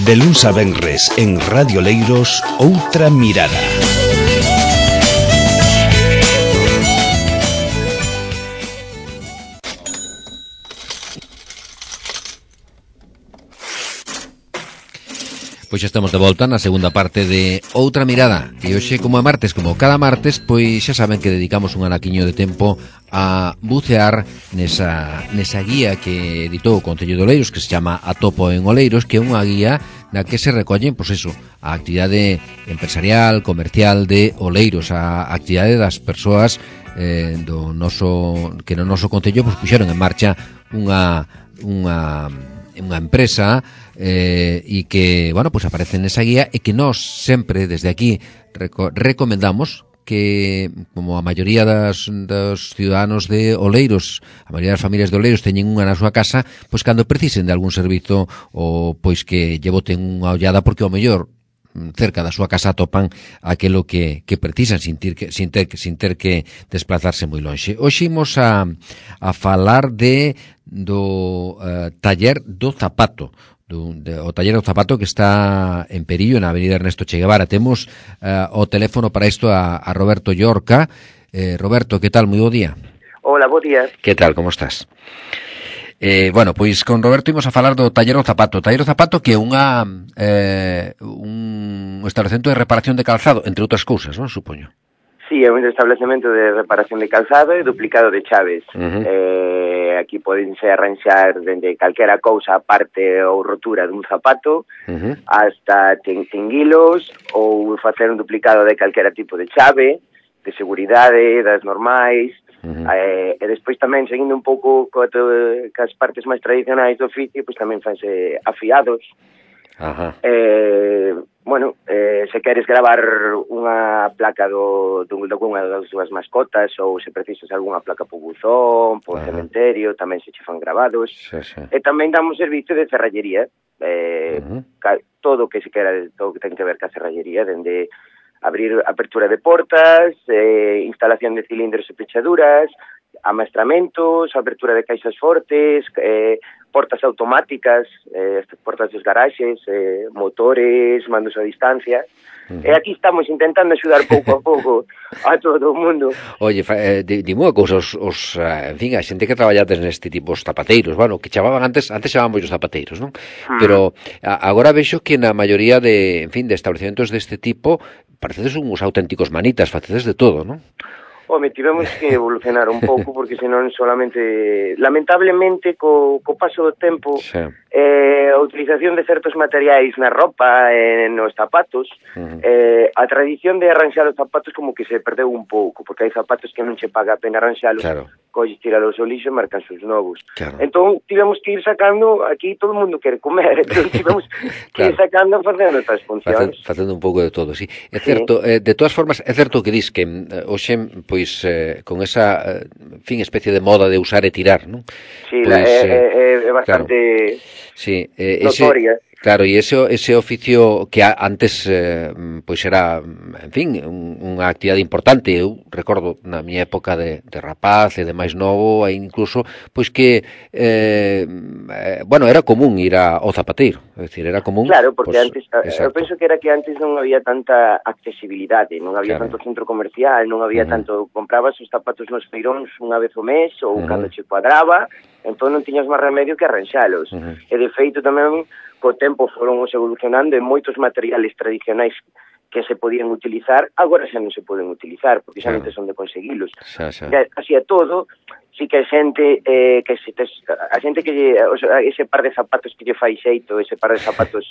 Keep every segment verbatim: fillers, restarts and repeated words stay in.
De luns a venres en Radio Leiros, Outra Mirada. Pois xa estamos de volta na segunda parte de Outra Mirada. E hoxe, como é martes, como cada martes, pois xa saben que dedicamos un anaquiño de tempo a bucear nesa, nesa guía que editou o Concello de Oleiros, que se chama Atopo en Oleiros, que é unha guía na que se recollen, pois eso, a actividade empresarial, comercial de Oleiros, a actividade das persoas eh, do noso, que no noso Concello pois puxeron en marcha unha unha unha empresa eh, e que, bueno, pues aparece nesa guía e que nós sempre desde aquí reco recomendamos que, como a maioría das, dos ciudadanos de Oleiros, a maioría das familias de Oleiros teñen unha na súa casa, pois cando precisen de algún servizo ou pois que lle boten unha ollada, porque ao mellor cerca da súa casa atopan aquilo que, que precisan sin ter que, sin ter, sin ter que desplazarse moi lonxe. Hoxe imos a, a falar de do uh, taller do zapato, do, de, o taller do zapato que está en Perillo, na avenida Ernesto Che Guevara. Temos uh, o teléfono para isto a, a Roberto Llorca. Eh, Roberto, que tal? Moi bo día. Hola, bo día. Que tal, como estás? Eh, bueno, pois con Roberto imos a falar do taller do zapato. O taller do zapato que é unha eh, un establecemento de reparación de calzado, entre outras cousas, non? Supoño. Sí, é un establecemento de reparación de calzado e duplicado de chaves. Uh-huh. eh, aquí podense arranxar dende calquera cousa, parte ou rotura dun zapato, uh-huh, hasta tinguilos ou facer un duplicado de calquera tipo de chave, de seguridade, das normais. Uh-huh. Eh, e despois tamén, seguindo un pouco co, cas partes máis tradicionais do oficio, pois tamén fanse afiados. Ajá. Eh, bueno, eh, se queres gravar unha placa do, do, do unha das túas mascotas ou se precisas algunha placa po buzón, po cementerio, tamén se che fan grabados. Sí, sí. E tamén damos servicio de ferrallería, eh, uh-huh, ca, todo o que se quera, todo o que ten que ver ca ferrallería, dende abrir apertura de portas, eh, instalación de cilindros e pechaduras, amaestramentos, apertura de caixas fortes, eh, portas automáticas, eh, portas dos garaxes, eh, motores, mandos a distancia. Uh-huh. E aquí estamos intentando axudar pouco a pouco a todo o mundo. Oye, eh, dime unha cousa, os, os, en fin, a xente que traballades neste tipo, os zapateiros, bueno, que chamaban antes, antes chamaban os zapateiros, non? Uh-huh. Pero a, agora vexo que na maioría de, en fin, de establecementos deste tipo, parecedes uns auténticos manitas, facedes de todo, non? Home, tivemos que evolucionar un pouco, porque senón solamente, lamentablemente, co, co paso do tempo, sí, eh, a utilización de certos materiais na roupa, eh, nos zapatos, uh-huh, eh, a tradición de arranxar os zapatos como que se perdeu un pouco, porque hai zapatos que non che paga a pena arranxalos, claro, colles, tiralos ao lixo e marcan os novos. Claro. Entón, tivemos que ir sacando, aquí todo o mundo quere comer, entón tivemos que claro, ir sacando facendo outras funcións. Facendo, facendo un pouco de todo, sí. É certo, sí, eh, de todas formas, é certo que dis que eh, hoxe, pois, eh, con esa, eh, en fin, especie de moda de usar e tirar, non? Sí, pois, é, eh, é, é bastante... Claro. Sí, eh, ese, notoria. Claro, e ese, ese oficio que antes, eh, pois era, en fin, un, unha actividade importante. Eu recordo na miña época de, de rapaz e de máis novo, e incluso, pois que, eh, eh, bueno, era común ir a, ao zapateiro, é dicir, era común... Claro, porque pues, antes, exacto, eu penso que era que antes non había tanta accesibilidade, non había, claro, tanto centro comercial, non había, uh-huh, tanto, comprabas os zapatos nos feiróns unha vez o mes, ou, uh-huh, cando che cuadraba, entón non tiñas máis remedio que arranxalos. Uh-huh. E de feito tamén, co tempo foron os evolucionando e moitos materiales tradicionais que se podían utilizar, agora xa non se poden utilizar, porque xa non te son de conseguilos. Xa, xa. Así a todo, sí que a xente, eh, que se tes, a xente que lle, o sea, ese par de zapatos que lle fai xeito, ese par de zapatos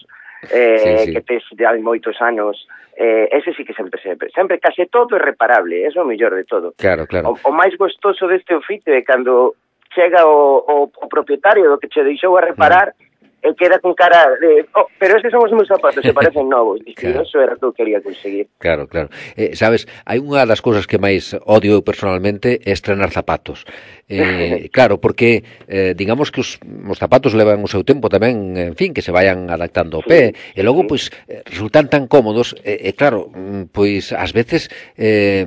eh, sí, sí, que tes de hai moitos anos, eh, ese sí que sempre, sempre, sempre case todo é reparable, eso é o mellor de todo. Claro, claro. O, o máis gostoso deste oficio é cando chega o, o, o propietario do que che deixou a reparar, mm, e queda con cara de, oh, pero estes son os meus zapatos, se parecen novos. Dice, claro, eso era o que eu quería conseguir. Claro, claro. Eh, sabes, hai unha das cousas que máis odio eu personalmente é estrenar zapatos. Eh, claro, porque eh, digamos que os, os zapatos levan o seu tempo tamén, en fin, que se vayan adaptando ao pé, sí, e logo, sí, pois, resultan tan cómodos, e, eh, eh, claro, pois, ás veces... Eh,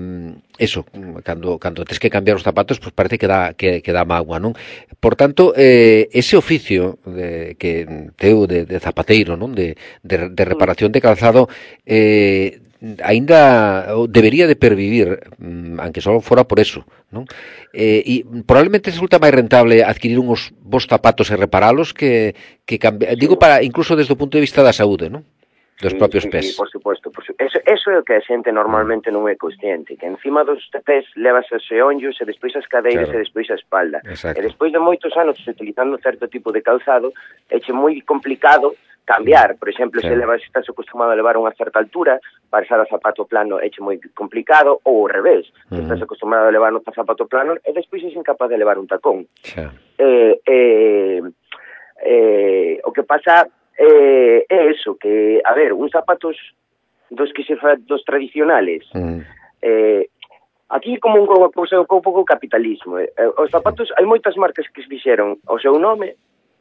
eso, cando cando tes que cambiar os zapatos, pois pues parece que dá que que dá mágoa, non? Por tanto, eh, ese oficio de que teu de, de zapateiro, non? De, de de reparación de calzado, eh aínda debería de pervivir, aunque só fora por eso, non? Eh, e probablemente resulta máis rentable adquirir uns bons zapatos e reparalos que que cambiar, sí. Digo, para incluso desde o punto de vista da saúde, non? Dos sí, propios sí, pés. Sí, por suposto, por su... eso, eso é o que a xente normalmente non é consciente, que encima dos pés levas os xeonllos e despois as cadeiras, claro, e despois a espalda. Exacto. E despois de moitos anos utilizando certo tipo de calzado, éche moi complicado cambiar. Por exemplo, sí. Se levas, estás acostumado a levar unha certa altura, pasar a zapato plano éche moi complicado, ou ao revés, uh -huh. Estás acostumado a levar un zapato plano e despois és incapaz de levar un tacón. Sí. Eh, eh, eh, o que pasa é eh, eso, que, a ver, uns zapatos dos que se fa, dos tradicionales, uh -huh. eh, aquí como unha cousa un pouco capitalismo. Eh, os zapatos, hai moitas marcas que se fixeron o seu nome.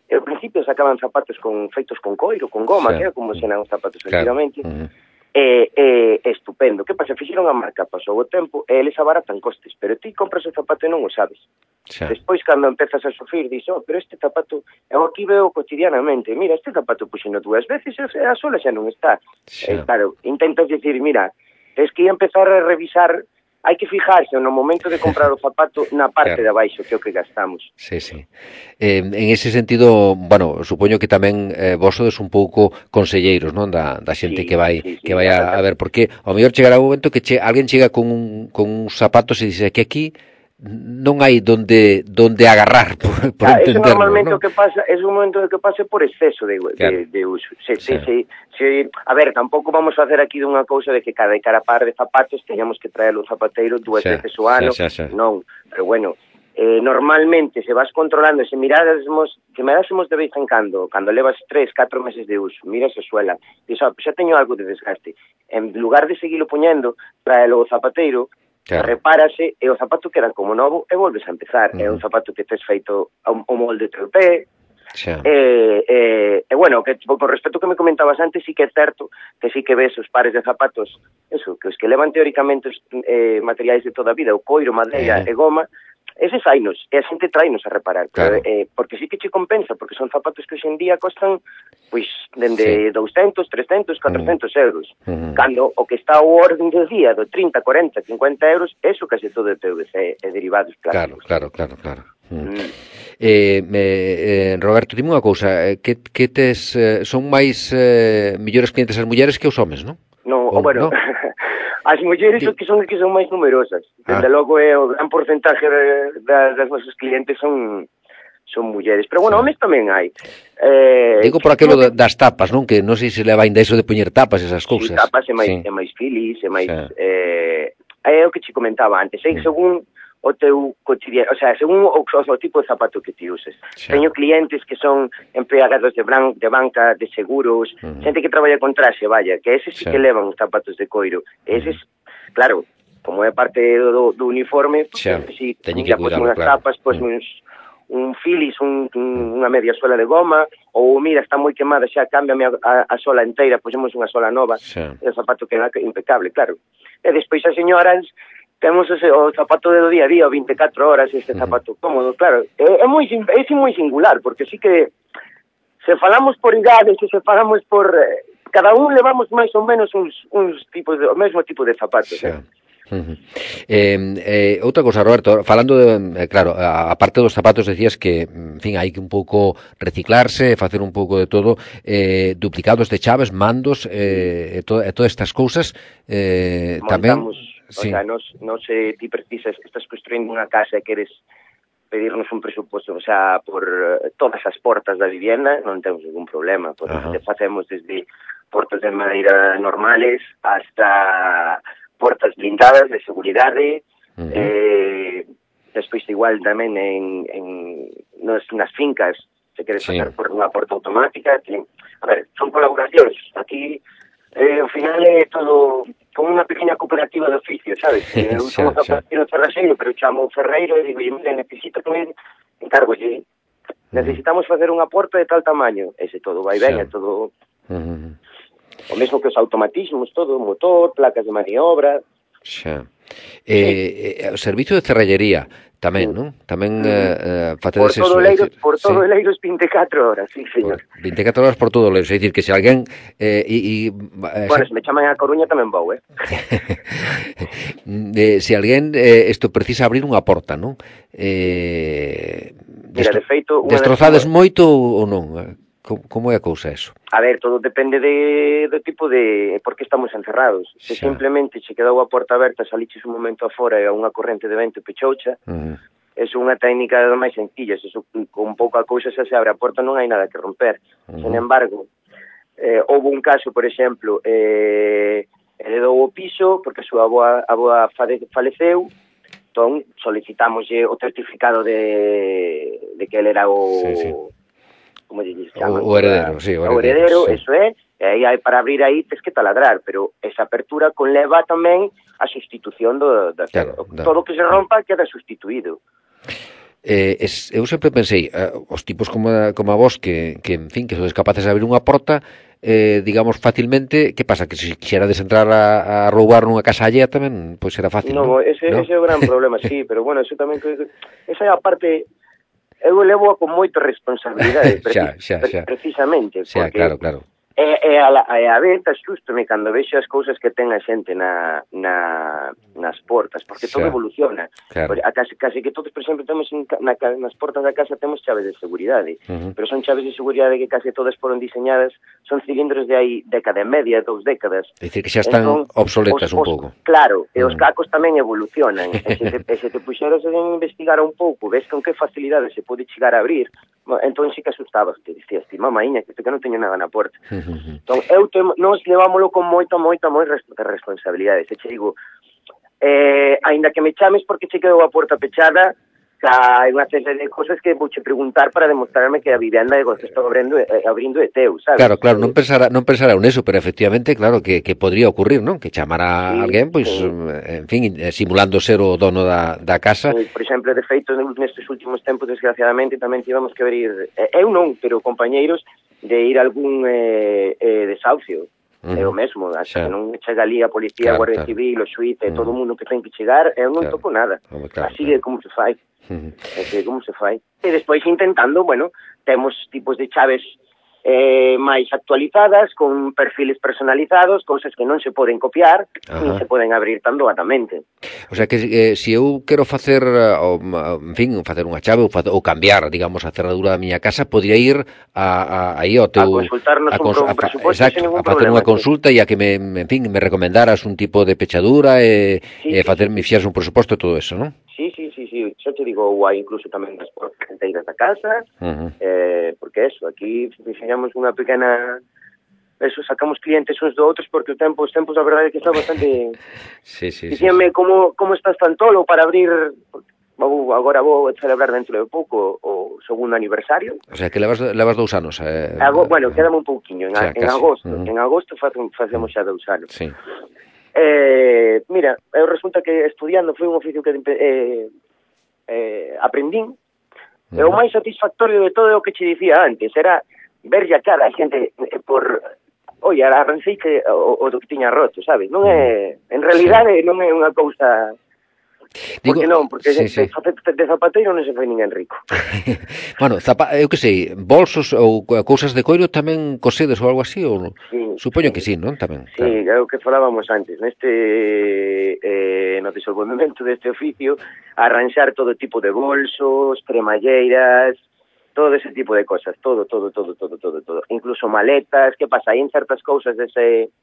Ao principio sacaban zapatos con feitos con coiro, con goma, sí. Que era como se eran os zapatos antigamente. Claro. Uh -huh. E, e, estupendo. Que pasa? Fixeron a marca, pasou o tempo, e eles abaratan costes, pero ti compras o zapato e non o sabes. Sí. Despois, cando empezas a sufrir, dis, oh, pero este zapato, eu aquí veo cotidianamente, mira, este zapato puxeno dúas veces, e a sola xa non está. Sí. E, claro, intentas dicir, mira, es que ia empezar a revisar. Hai que fijarse no momento de comprar o zapato na parte, claro, de abaixo, que é o que gastamos. Sí, sí. Eh, en ese sentido, bueno, supoño que tamén eh, vos sodes un pouco conselleiros, non, da, da xente sí, que vai sí, sí, que vai a, a ver, porque ao mellor chegará un momento que che, alguén chega con un, con uns zapatos e dice que aquí non hai donde donde agarrar por, por ah, entenderlo, eso normalmente, ¿no? O que pasa, es un momento que pase por exceso de, claro, de, de uso. Se, sí. se, se, se, a ver, tampouco vamos a hacer aquí dunha cousa de que cada cada par de zapatos teñamos que traer o zapateiro dúas sí, veces o ano, sí, sí, sí. Non, pero bueno, eh, normalmente se vas controlando, se mirásemos, que mirásemos de vez en cando, cando levas tres, catro meses de uso, miras a suela, dices, oh, xa teño algo de desgaste, en lugar de seguilo poñendo, traelo o zapateiro, claro, repárase e o zapato queda como novo e volves a empezar. Uh -huh. É un zapato que tes feito o molde teu pé. Sí. E, e, e bueno, que con respecto que me comentabas antes, sí que é certo que sí que ves os pares de zapatos, eso, que os que levan teóricamente os eh, materiais de toda a vida, o coiro, madeira uh -huh. e goma, eses hainos, e a xente trainos a reparar, claro. Pero, eh, porque sí que che compensa, porque son zapatos que hoxendía costan, pois, dende sí. doscientos, trescientos, cuatrocentos uh -huh. euros. Uh -huh. Cando o que está ao orden do día, do trinta, cuarenta, cincuenta euros, eso case todo é P V C e derivados plásticos. Claro, claro, claro, claro. Mm. Mm. Eh, eh, Roberto, dime unha cousa, eh, que, que tes, eh, son máis eh, millores clientes as mulleres que os homes, non? No, o, bueno... No? As mulleres son que son que son máis numerosas. Desde ah. logo é o gran porcentaje de, de, das nosos clientes son son mulleres. Pero bueno, sí. Homes tamén hai. Eh, Digo por aquilo que... das tapas, non? Que non sei se leva ainda iso de poñer tapas esas cousas. Sí, tapas é máis, sí. é máis filis, é máis... Sí. Eh, é o que te comentaba antes. É mm. según o teu cotidiano, o sea, según o, o tipo de zapato que ti uses. Sí. Teño clientes que son empregados de, bran, de banca, de seguros, uh -huh. xente que traballa con traxe, vaya, que eses sí, sí que levan os zapatos de coiro. Eses, uh -huh. claro, como é parte do, do uniforme, pues, sí, si ya pues unhas claro. tapas, pues uh -huh. uns, un filis, un, un, unha media sola de goma, ou mira, está moi quemada, xa cámbiame a, a, a sola inteira, poñemos unha sola nova, sí. E o zapato queda impecable, claro. E despois as señoras temos ese, o zapato do día a día, vinte e catro horas, este zapato uh -huh. cómodo, claro. É, é moi é moi singular, porque sí que se falamos por idades, se falamos por... Eh, cada un levamos máis ou menos uns, uns tipos de, o mesmo tipo de zapatos, sí. eh? Uh -huh. eh, eh, outra cosa, Roberto, falando de, eh, claro, a, a parte dos zapatos decías que, en fin, hai que un pouco reciclarse, facer un pouco de todo, eh, duplicados de chaves, mandos, eh, e, to, e todas estas cousas, eh, tamén... Sí. O sea, nos, nos eh, ti precisas, estás construindo unha casa e queres pedirnos un presuposto, o sea, por uh, todas as portas da vivienda, non temos ningún problema, porque uh -huh. te facemos desde portas de madeira normales hasta portas blindadas de seguridade, uh -huh. eh, despois igual tamén en, en nos, nas fincas, se queres sí. pasar por unha porta automática, que, a ver, son colaboracións, aquí eh, ao final é todo... como unha pequena cooperativa de oficio, sabes? Eu sí, somos sí. zapatero ferraxeiro, pero chamo o ferreiro e digo, mira, necesito que me encargolle. Necesitamos facer unha porta de tal tamaño. Ese todo vai ben, sí. É todo... Uh -huh. O mesmo que os automatismos, todo, motor, placas de maniobra... Xa. Eh, eh, o servicio de cerrallería tamén, sí. Non? Tamén eh, facedes por todo eso. Leiros, por todo sí. Leiros vinte e catro horas, sí, señor. Por vinte e catro horas por todo Leiros, é dicir que se alguén eh, e, e, bueno, se me chaman a Coruña tamén vou, eh. eh se alguén eh, isto precisa abrir unha porta, non? Eh, Mira, de feito, destrozades de... moito ou non? Como é a cousa eso? A ver, todo depende de, do tipo de... por que estamos encerrados. Se xa. Simplemente che quedou a porta aberta, saliches un momento afora e a unha corrente de vento pechoucha, uh-huh. é unha técnica das máis sencillas. Eso, con pouca cousa xa se abre a porta, non hai nada que romper. Uh-huh. Sen embargo, eh, houve un caso, por exemplo, eh, heredou o piso porque a súa aboa, aboa faleceu, entón solicitámoslle o certificado de, de que ele era o... Sí, sí. como lle chaman, o, o heredero, sí, o heredero, o heredero sí. Eso é, e aí hai para abrir aí tes que taladrar, pero esa apertura conleva tamén a sustitución do, do claro, todo o que se rompa queda sustituído. Eh, es, eu sempre pensei, eh, os tipos como a, como a vos que, que, en fin, que sodes capaces de abrir unha porta, eh, digamos, facilmente, que pasa? Que se quixerades entrar a, a roubar nunha casa allea tamén, pois pues era fácil, no, non? Ese, ¿no? ese é o gran problema, sí, pero bueno, eso tamén, esa é a parte... Eu levo con moita responsabilidade, xa, xa, xa. precisamente, xa, porque claro, claro. é, é, a, é a vez asústome cando vexo as cousas que ten a xente na, na, nas portas, porque xa. Todo evoluciona. Claro. A case, case que todos, por exemplo, temos na, nas portas da casa temos chaves de seguridade, uh-huh. pero son chaves de seguridade que case todas foron diseñadas, son cilindros de aí década e media, dous décadas. É dicir, que xa están entón, obsoletas os, un pouco. Claro, e uh-huh. os cacos tamén evolucionan. E se te, e se te puxeras a investigar un pouco, ves con que facilidade se pode chegar a abrir, entón sí que asustabas, te dicías, ti, mamaíña, que que non teño nada na porta. Uh-huh. Entón, eu te, nos levámoslo con moita, moita, moita responsabilidade. Se che digo, eh, aínda que me chames porque che quedou a porta pechada, hai unha serie de cosas que vouche preguntar para demostrarme que a vivenda que estou abrindo, eh, abrindo é teu, sabes? Claro, claro, non pensara, non pensara en eso, pero efectivamente, claro, que, que podría ocurrir, non? Que chamara sí, a alguén, pois, sí. en fin, simulando ser o dono da, da casa. Sí, por exemplo, de feito, nestes últimos tempos, desgraciadamente, tamén tivemos que abrir, eh, eu non, pero compañeiros, de ir a algún eh, eh, desahucio. Uh-huh. É o mesmo, hasta que non chega ali a policía, claro, a Guardia claro. Civil, o xuiz, uh-huh. todo o mundo que ten que chegar, eu non claro. toco nada. Oh, claro, así claro. é como se fai. Uh-huh. Así é como se fai. E despois intentando, bueno, temos tipos de chaves eh, máis actualizadas, con perfiles personalizados, cousas que non se poden copiar, uh-huh. nin se poden abrir tan doadamente. O sea que eh, se eu quero facer, o, en fin, facer unha chave ou, facer, ou cambiar, digamos, a cerradura da miña casa, podría ir a, a, aí ao teu... A consultarnos a, cons, un, a, un presupuesto exacto, sin ningún a facer problema, unha consulta e a que me, en fin, me recomendaras un tipo de pechadura e, sí, e facer, sí. me fixeras un presuposto e todo eso, non? Sí, sí, sí, sí, xa te digo, ou hai incluso tamén das portas inteiras da casa, uh-huh. eh, porque eso, aquí diseñamos unha pequena, eso, sacamos clientes uns do outros, porque o tempo, os tempos, a verdade é que está bastante... sí, sí, Dicíanme, sí, sí. como, como estás tan tolo para abrir, vou, agora vou celebrar dentro de pouco o segundo aniversario. O sea, que levas, levas dous anos. Eh, Ago, bueno, quedame un pouquiño, en, o sea, en agosto, uh-huh. en agosto facemos xa dous anos. Sí. Eh, mira, eu resulta que estudiando foi un oficio que eh, eh, aprendín, uh-huh. e o máis satisfactorio de todo é o que che dicía antes, era ver a cara a xente eh, por, oi, arrancei que o, o do que tiña roto, sabes? Non é, en realidade sí. non é unha cousa... Porque Digo, non, porque sí, de, sí. de, de zapateiro non se foi ninguén rico. Bueno, zapa, eu que sei, bolsos ou cousas de coiro tamén cosedes ou algo así, ou sí, supoño sí. que sí, non? Tamén. Sí, claro. É o que falábamos antes, neste eh, no desenvolvemento deste oficio, arranxar todo tipo de bolsos, cremalleiras, todo ese tipo de cosas, todo, todo, todo, todo, todo, todo. Incluso maletas, que pasa, hai en certas cousas dese,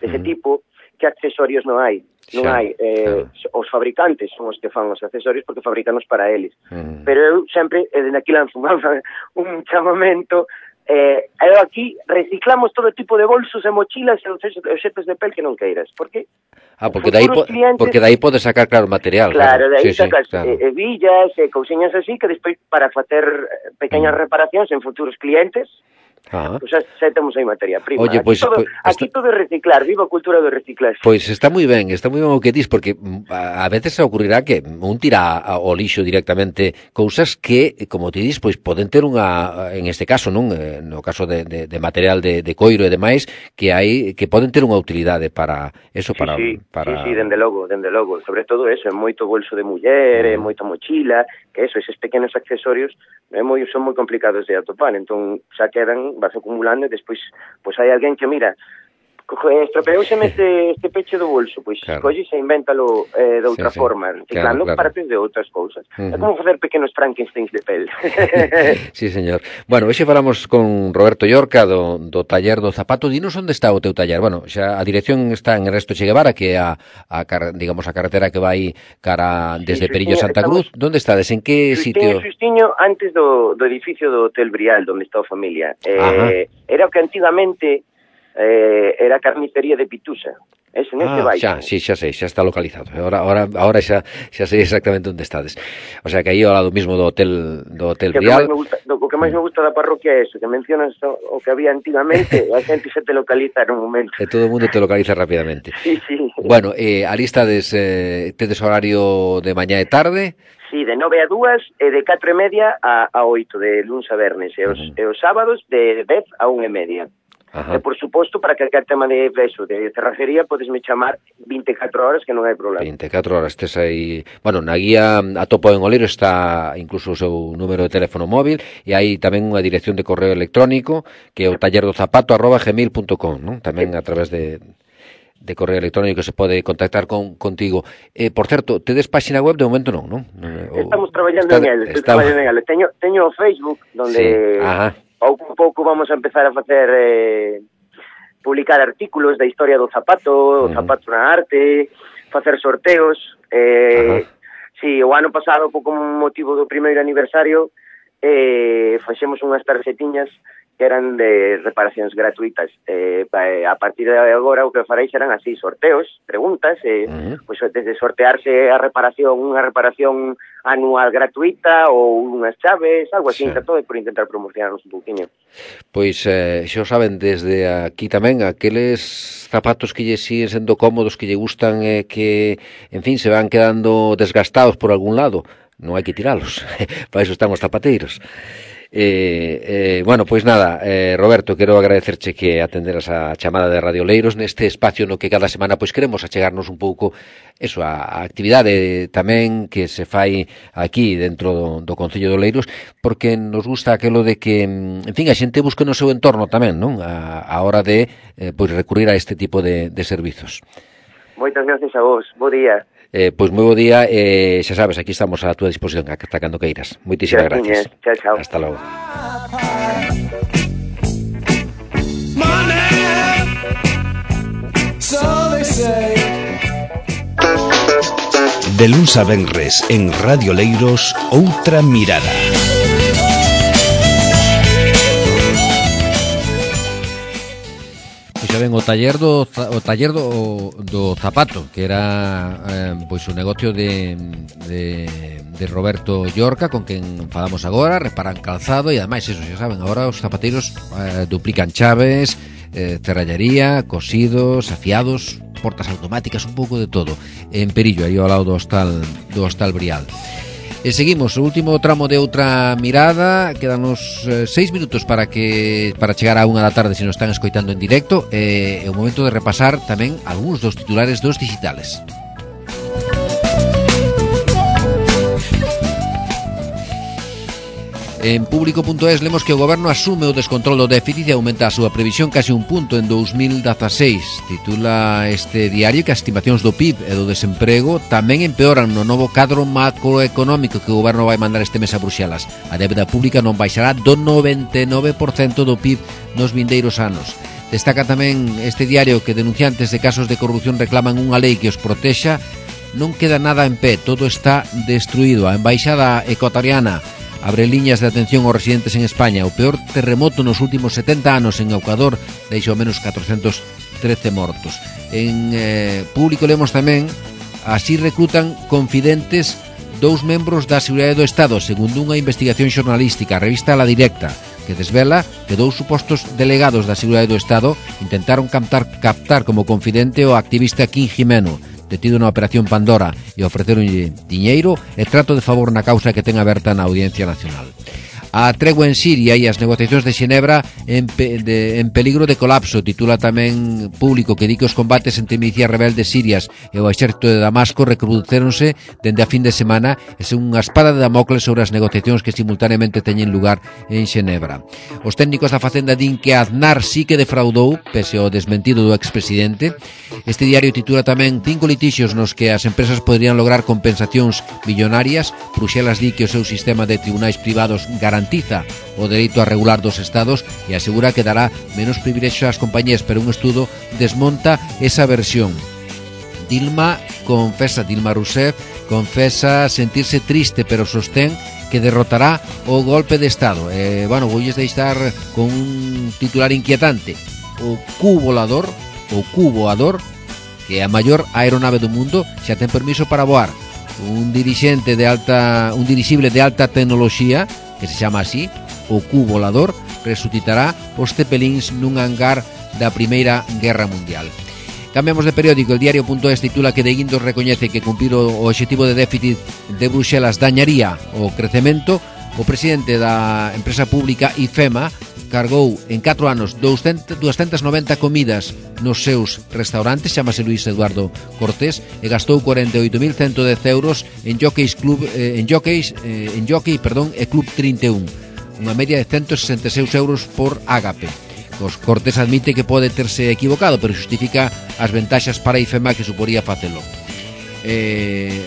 dese mm. tipo que accesorios non hai. Non xa, hai, eh, xa. Os fabricantes son os que fan os accesorios porque fabricanos para eles. Mm. Pero eu sempre, e dende aquí lanzo un chamamento, eh, eu aquí reciclamos todo tipo de bolsos e mochilas e obxetos de pel que non queiras. Por que? Ah, porque dai, po, clientes, porque dai podes sacar, claro, material. Claro, claro. de aí sí, sacas sí, claro. eh, villas e cousiñas así que despois para facer pequeñas mm. reparacións en futuros clientes Ah. Pois pues xa temos aí materia prima. Oye, aquí, pues, todo, pues, aquí está... todo é reciclar, viva a cultura do reciclaje. Pois pues está moi ben, está moi ben o que dis, porque a veces se ocurrirá que un tira ao lixo directamente cousas que, como te dis, pois poden ter unha, en este caso, non, no caso de, de, de material de, de coiro e demais, que hai que poden ter unha utilidade para eso, para... Sí, sí, para... sí, sí, dende logo, dende logo, sobre todo eso, é moito bolso de muller, é moita mochila, que eso, eses pequenos accesorios, é moi, son moi complicados de atopar, entón xa quedan, vas acumulando e despois, pois hai alguén que mira, estropeouseme este, este peche do bolso, pois claro. Colles e invéntalo eh, de outra sí, forma, sí. Reciclando claro, claro. Partes de outras cousas. Uh-huh. É como facer pequenos Frankensteins de pel. Sí, señor. Bueno, hoxe falamos con Roberto Llorca do, do taller do zapato. Dinos onde está o teu taller. Bueno, xa a dirección está en Ernesto Che Guevara, que é a, a digamos a carretera que vai cara desde sí, Perillo Santa Cruz. Onde estades? En que Xustiño, sitio? Xustiño, antes do, do edificio do Hotel Brial, onde está a familia. Eh, era o que antigamente Eh, era a carnicería de Pitusa. Ese neste ah, baixo. Xa, sí, xa sei, xa está localizado. Ahora, ahora, ahora xa, xa sei exactamente onde estades. O sea, que aí ao lado mismo do Hotel do Hotel que Brial. O que, gusta, do, o que máis me gusta da parroquia é eso, que mencionas o, o que había antigamente, a xente se te localiza en un momento. E todo o mundo te localiza rapidamente. Sí, sí. Bueno, eh, ali estades, eh, tedes horario de mañá e tarde? Sí, de nove a dúas e de catro e media a, a oito, de luns a vernes, e os, uh-huh. e os sábados de dez a unha e media. Ajá. E, por suposto, para calquer tema de eso, de cerrajería, podesme chamar vinte e catro horas, que non hai problema. vinte e catro horas, tes aí... Bueno, na guía a topo en Oleiro está incluso o seu número de teléfono móvil, e hai tamén unha dirección de correo electrónico, que é o taller do zapato arroba gmail punto com, non? Tamén a través de... de correo electrónico se pode contactar con contigo. Eh, por certo, tedes páxina web? De momento non, non? Estamos traballando está, en el, está... traballando en el. Teño, teño o Facebook, donde... Sí. Ajá. Pouco a pouco vamos a empezar a facer eh, publicar artículos da historia do zapato, o uh-huh. zapato na arte, facer sorteos. Eh, uh-huh. Si, o ano pasado, como motivo do primeiro aniversario, eh, faxemos unhas tarxetiñas que eran de reparacións gratuitas. Eh, a partir de agora o que farei serán así, sorteos, preguntas, eh, uh-huh. pues, desde sortearse a reparación, unha reparación anual gratuita ou unhas chaves, algo así, sí. Todo por intentar promocionarnos un pouquinho. Pois, eh, xa o saben, desde aquí tamén, aqueles zapatos que lle siguen sendo cómodos, que lle gustan, eh, que, en fin, se van quedando desgastados por algún lado, non hai que tiralos, para iso están os zapateiros. Eh, eh, bueno, pois nada, eh, Roberto, quero agradecerche que atenderas a chamada de Radio Oleiros neste espacio no que cada semana pois queremos achegarnos un pouco eso, a, a actividade tamén que se fai aquí dentro do, do Concello de Oleiros, porque nos gusta aquelo de que, en fin, a xente busque no seu entorno tamén, non? A, a hora de eh, pois recurrir a este tipo de, de servizos. Moitas gracias a vos, bo día. Eh, pois moi bo día, eh, xa sabes, aquí estamos a túa disposición hasta cando queiras. Moitísimas gracias. Chao, chao. Hasta logo. De luns a venres en Radio Oleiros, outra mirada. Xa ven, o taller do o taller do, do zapato, que era eh, pois o negocio de, de, de Roberto Llorca, con quen falamos agora, reparan calzado e ademais eso, xa saben, agora os zapateiros eh, duplican chaves, eh, cerrallaría, cosidos, afiados, portas automáticas, un pouco de todo. En Perillo, aí ao lado do hostal do hostal Brial. E seguimos, o último tramo de outra mirada. Quedanos eh, seis minutos para que para chegar a unha da tarde se nos están escoitando en directo. E eh, é o momento de repasar tamén algúns dos titulares dos digitales. En público punto es lemos que o goberno asume o descontrol do déficit e aumenta a súa previsión casi un punto en dous mil dezaseis. Titula este diario que as estimacións do P I B e do desemprego tamén empeoran no novo cadro macroeconómico que o goberno vai mandar este mes a Bruxelas. A débeda pública non baixará do noventa e nove por cento do P I B nos vindeiros anos. Destaca tamén este diario que denunciantes de casos de corrupción reclaman unha lei que os protexa. Non queda nada en pé, todo está destruído. A embaixada ecuatoriana abre liñas de atención aos residentes en España. O peor terremoto nos últimos setenta anos en Ecuador deixou ao menos catrocentos trece mortos. En eh, público lemos tamén: así reclutan confidentes dous membros da Seguridade do Estado, segundo unha investigación xornalística. A revista La Directa que desvela que dous supostos delegados da Seguridade do Estado intentaron captar, captar como confidente o activista Kim Jimeno, detido na Operación Pandora, e ofreceronlle diñeiro e trato de favor na causa que ten aberta na Audiencia Nacional. A tregua en Siria e as negociacións de Xenebra en, pe, de, en peligro de colapso, titula tamén Público, que di que os combates entre milicias rebeldes sirias e o exército de Damasco recrudecéronse dende a fin de semana e son unha espada de Damocles sobre as negociacións que simultaneamente teñen lugar en Xenebra. Os técnicos da Facenda din que Aznar sí que defraudou, pese ao desmentido do expresidente. Este diario titula tamén cinco litixios nos que as empresas poderían lograr compensacións millonarias. Bruxelas di que o seu sistema de tribunais privados garantiza o dereito a regular dos estados e asegura que dará menos privilexios ás compañías, pero un estudo desmonta esa versión. Dilma confesa, Dilma Rousseff confesa sentirse triste, pero sostén que derrotará o golpe de Estado. Eh, bueno, voulles deixar con un titular inquietante. O cubo volador, o cubo voador, que é a maior aeronave do mundo, xa ten permiso para voar. Un dirixente de alta, un dirixible de alta tecnoloxía, que se chama así, o cubo volador, resucitará os cepelíns nun hangar da Primeira Guerra Mundial. Cambiamos de periódico. El diario.es titula que De Guindos recoñece que cumprir o objetivo de déficit de Bruxelas dañaría o crecemento. O presidente da empresa pública IFEMA cargou en catro anos doscientas noventa comidas nos seus restaurantes, chamase Luis Eduardo Cortés, e gastou cuarenta e oito mil ciento dez euros en Jockeys Club eh, en Jockeys eh, en Jockey, perdón, e Club trinta e un, unha media de ciento sesenta e seis euros por ágape. Os Cortés admite que pode terse equivocado, pero justifica as ventaxas para IFEMA que suporía facelo. Eh,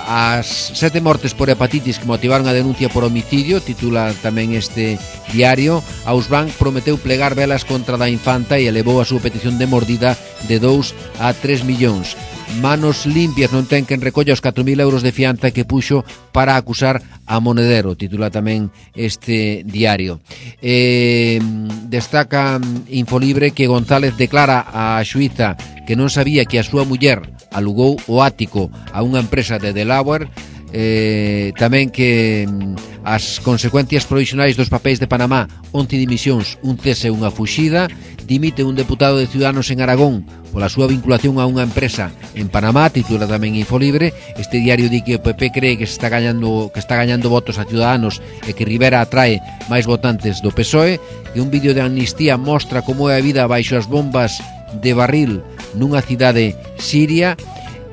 as sete mortes por hepatitis que motivaron a denuncia por homicidio, titula tamén este diario. Ausbank prometeu plegar velas contra da infanta e elevou a súa petición de mordida de dous a tres millóns. Manos limpias non ten quen recolla os catro mil euros de fianza que puxo para acusar a Monedero, titula tamén este diario. Eh, destaca Infolibre que González declara a xuíza que non sabía que a súa muller alugou o ático a unha empresa de Delaware. Eh, tamén que mm, as consecuencias provisionais dos papéis de Panamá, once dimisións, un cese e unha fuxida. Dimite un deputado de Ciudadanos en Aragón pola súa vinculación a unha empresa en Panamá, titula tamén Infolibre. Este diario di que o P P cree que se está gañando que está gañando votos a Ciudadanos e que Rivera atrae máis votantes do P S O E. E un vídeo de amnistía mostra como é a vida baixo as bombas de barril nunha cidade siria.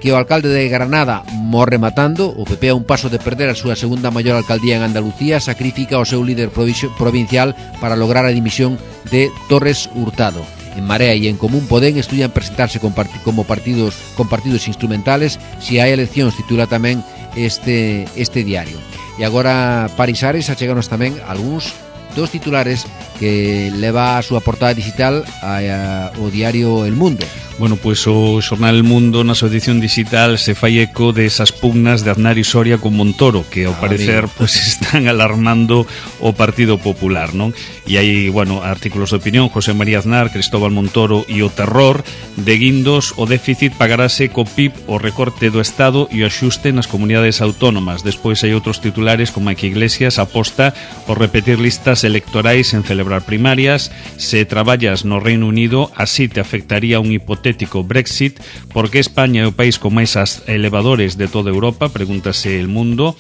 Que o alcalde de Granada morre matando. O P P a un paso de perder a súa segunda maior alcaldía en Andalucía, sacrifica o seu líder provincial para lograr a dimisión de Torres Hurtado. En Marea e en Común Podem estudian presentarse con part- como partidos con partidos instrumentales si hai eleccións, titula tamén este este diario. E agora Parisares acheganos tamén algúns dos titulares que leva a súa portada digital a, a, o diario El Mundo. Bueno, pois o xornal El Mundo na súa edición digital se fai eco desas pugnas de Aznar e Soria con Montoro, que ao ah, parecer pois están alarmando o Partido Popular, non? E hai, bueno, artículos de opinión, José María Aznar, Cristóbal Montoro e o terror. De Guindos, o déficit pagarase co P I B, o recorte do Estado e o axuste nas comunidades autónomas. Despois hai outros titulares como que Iglesias aposta por repetir listas electorais en celebrar primarias. Se traballas no Reino Unido, así te afectaría un hipotético Brexit. Por que España é o país con máis elevadores de toda Europa? Pregúntase El Mundo.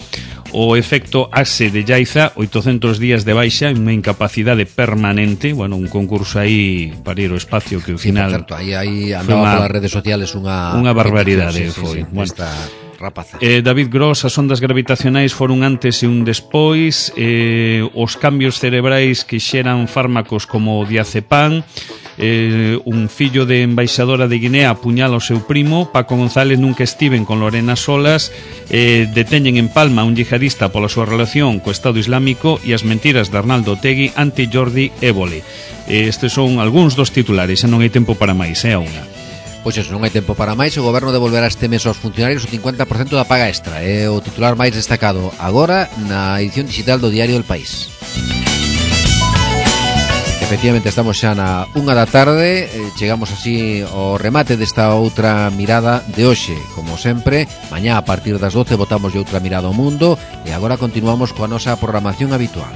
O efecto Axe de Llaiza, oitocentos días de baixa, unha incapacidade permanente. Bueno, un concurso aí para ir ao espacio que ao final... Sí, por certo, aí, aí andaba polas redes sociales unha... Unha barbaridade, sí, sí, foi. Sí, sí, bueno, esta rapaza. Eh, David Gross, as ondas gravitacionais foron antes e un despois. Eh, os cambios cerebrais que xeran fármacos como o diazepam. Eh, un fillo de embaixadora de Guinea apuñala o seu primo. Paco González nunca estiven con Lorena Solas. eh, Deteñen en Palma un yihadista pola súa relación co Estado Islámico. E as mentiras de Arnaldo Otegui ante Jordi Évole. eh, Estes son algúns dos titulares. E non hai tempo para máis, é a unha. Pois eso, non hai tempo para máis. O goberno devolverá este mes aos funcionarios o cincuenta por cento da paga extra. É o titular máis destacado agora na edición digital do diario El País. Efectivamente, estamos xa na unha da tarde. Chegamos así ao remate desta outra mirada de hoxe. Como sempre, mañá a partir das doce botamos de outra mirada ao mundo. E agora continuamos coa nosa programación habitual.